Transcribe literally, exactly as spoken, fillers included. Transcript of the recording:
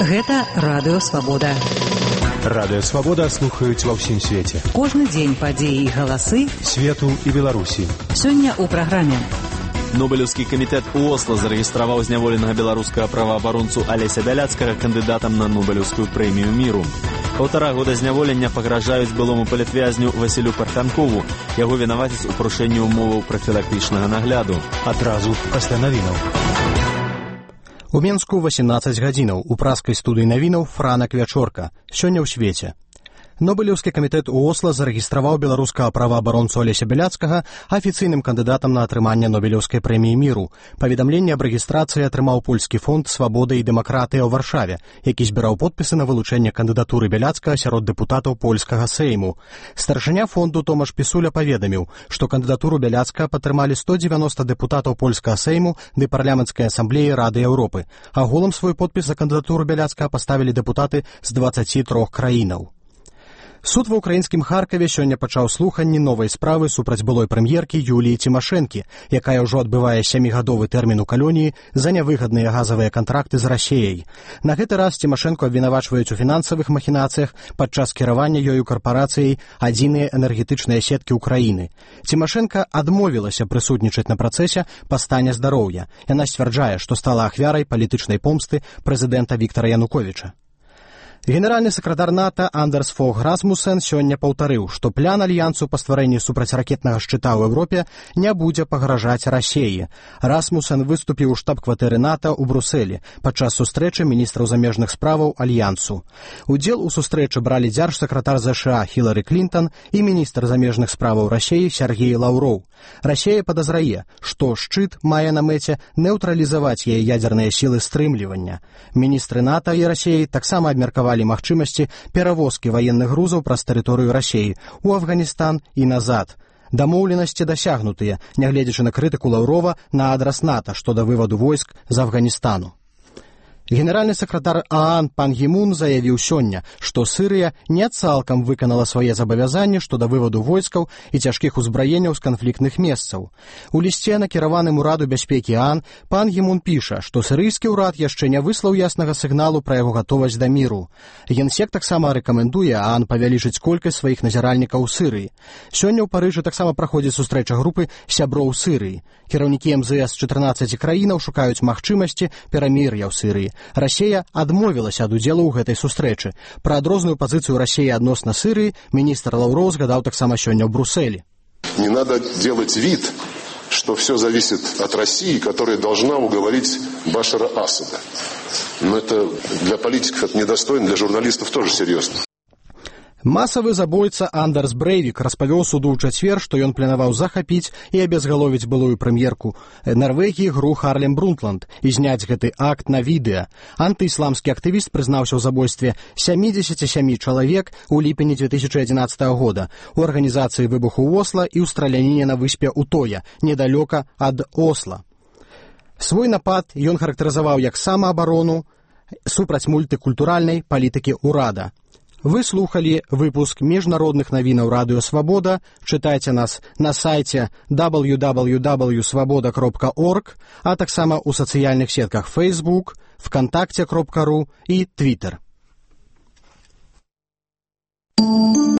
Гэта Радыё Свабода. Радыё Свабода слухаюць ва ўсім свеце. Кожны дзень падзеі і галасы свету і Беларусі. Сёння ў праграме. Нобелеўскі камітэт у Осла зарэгістраваў зняволенага беларускага праваабаронцу Алеся Бяляцкага кандыдатам на Нобелеўскую прэмію міру. Паўтара года зняволення пагражаюць былому палітвязню Васілю Парфянкову. Яго вінавацяць у парушэнні ўмоваў прафілактычнага нагляду. Адразу пасля навінаў. У Менску васемнаццаць гадзінаў. У праскай студыі навінаў Франак Вячорка. Сёння ў свеце. Нобелеўскі камітэт у Осла зарэгістраваў беларускага праваабаронцу Алеся Бяляцкага афіцыйным кандыдатам на атрыманне Нобелеўскай прэміі міру. Паведамленне аб рэгістрацыі атрымаў польскі фонд «Свабода і дэмакратыя» ў Варшаве, які збіраў подпісы на вылучэнне кандыдатуры Бяляцкага сярод дэпутатаў польскага сейму. Старшыня фонду Томаш Пісуля паведаміў, што кандыдатуру Бяляцкага падтрымалі сто дзевяноста дэпутатаў польскага сейму ды парламенцкай асамблеі Рады Еўропы. Агулам свой подпіс за кандыдатуру Бяляцкага паставілі дэпутаты з дваццаці трох краінаў. Суд ва ўкраінскім Харкаве сёння пачаў слуханні новай справы супраць былой прэм'еркі Юліі Цімашэнкі, якая ўжо адбывае сямігадовы тэрмін у калоніі за нявыгадныя газавыя кантракты з Расіяй. На гэты раз Цімашэнку абвінавачваюць у фінансавых махінацыях падчас кіравання ёю карпарацыяй «Адзіныя энергетычныя сеткі ўкраіны». Цімашэнка адмовілася прысутнічаць на працэсе па стане здароўя. Яна сцвярджае, што стала ахвярай палітычнай помсты прэзідэнта Віктара Януковіча. Генеральны сакратар НАТО Андерс Фог Расмуссен сёння паўтарыў, што план альянсу па стварэнні супрацьракетнага шчыта ў Еўропе не будзе пагражаць Расіі. Расмуссен выступіў у штаб-кватэры НАТО ў Брусэлі падчас сустрэчы міністраў замежных справаў альянсу. Удзел у сустрэчы бралі дзяржсакратар ЗША Хілары Клінтон і міністр замежных справаў Расіі Сергей Лаўроў. Расія падазрае, што шчыт мае на мэце neutrалізаваць яе ядзерныя сілы стрымлівання. Міністры НАТО і Расіі таксама абмеркавалі магчымасці перавозкі ваенных грузаў праз тэрыторыю Расіі у Афганістан і назад. Дамоўленасці дасягнутыя, нягледзячы на крытыку Лаўрова на адрас НАТО што да вываду войск з Афганістану. Генеральны сакратар ААН Пан Гі Мун заявіў сёння, што Сірыя не цалкам выканала свае забавязанні што да вываду войскаў і цяжкіх узбраенняў з канфліктных месцаў. У лісце, накіраваным Ураду бяспекі ААН, Пан Гі Мун піша, што сірыйскі ўрад яшчэ не выслаў яснага сігналу пра яго гатовасць да міру. Генсек таксама рэкамендуе ААН павялічыць колькасць сваіх назіральнікаў у Сірыі. Сёння ў Парыжы таксама праходзіць сустрэча групы сяброў Сірыі. Кіраўнікі эм зэ эс чатырнаццаці краінаў шукаюць магчымасці перамір'я ў Сірыі. Расія адмовілася ад удзелу ў гэтай сустрэчы. Пра адрозную пазіцыю Расіі адносна Сірыі міністр Лаўроў згадаў таксама сёння ў Брусэлі. Не надо делать вид, что все зависит от России, которая должна уговорить Башара Асада. Но это для политиков это недостойно, для журналистов тоже серьезно. Масавы забойца Андерс Брэйвік распавёў суду ў чацвер, што ён планаваў захапіць і абезгаловіць былую прэм'ерку Нарвегіі Гру Харлем Брунтланд і зняць гэты акт на відэа. Антыісламскі актывіст прызнаўся ў забойстве сямідзесяці сямі чалавек у ліпені дзве тысячы адзінаццатага года у арганізацыі выбуху ў Осла і ў страляніне на выспе Утоя, недалёка ад Осла. Свой напад ён характарызаваў як самаабарону супраць мультыкультуральнай палітыкі ўрада. Вы слухалі выпуск міжнародных навінаў Радыё Свабода. Чытайце нас на сайце дабл ю дабл ю дабл ю крапка свабода крапка орг, а таксама ў сацыяльных сетках Facebook, вконтакте крапка ру і Twitter.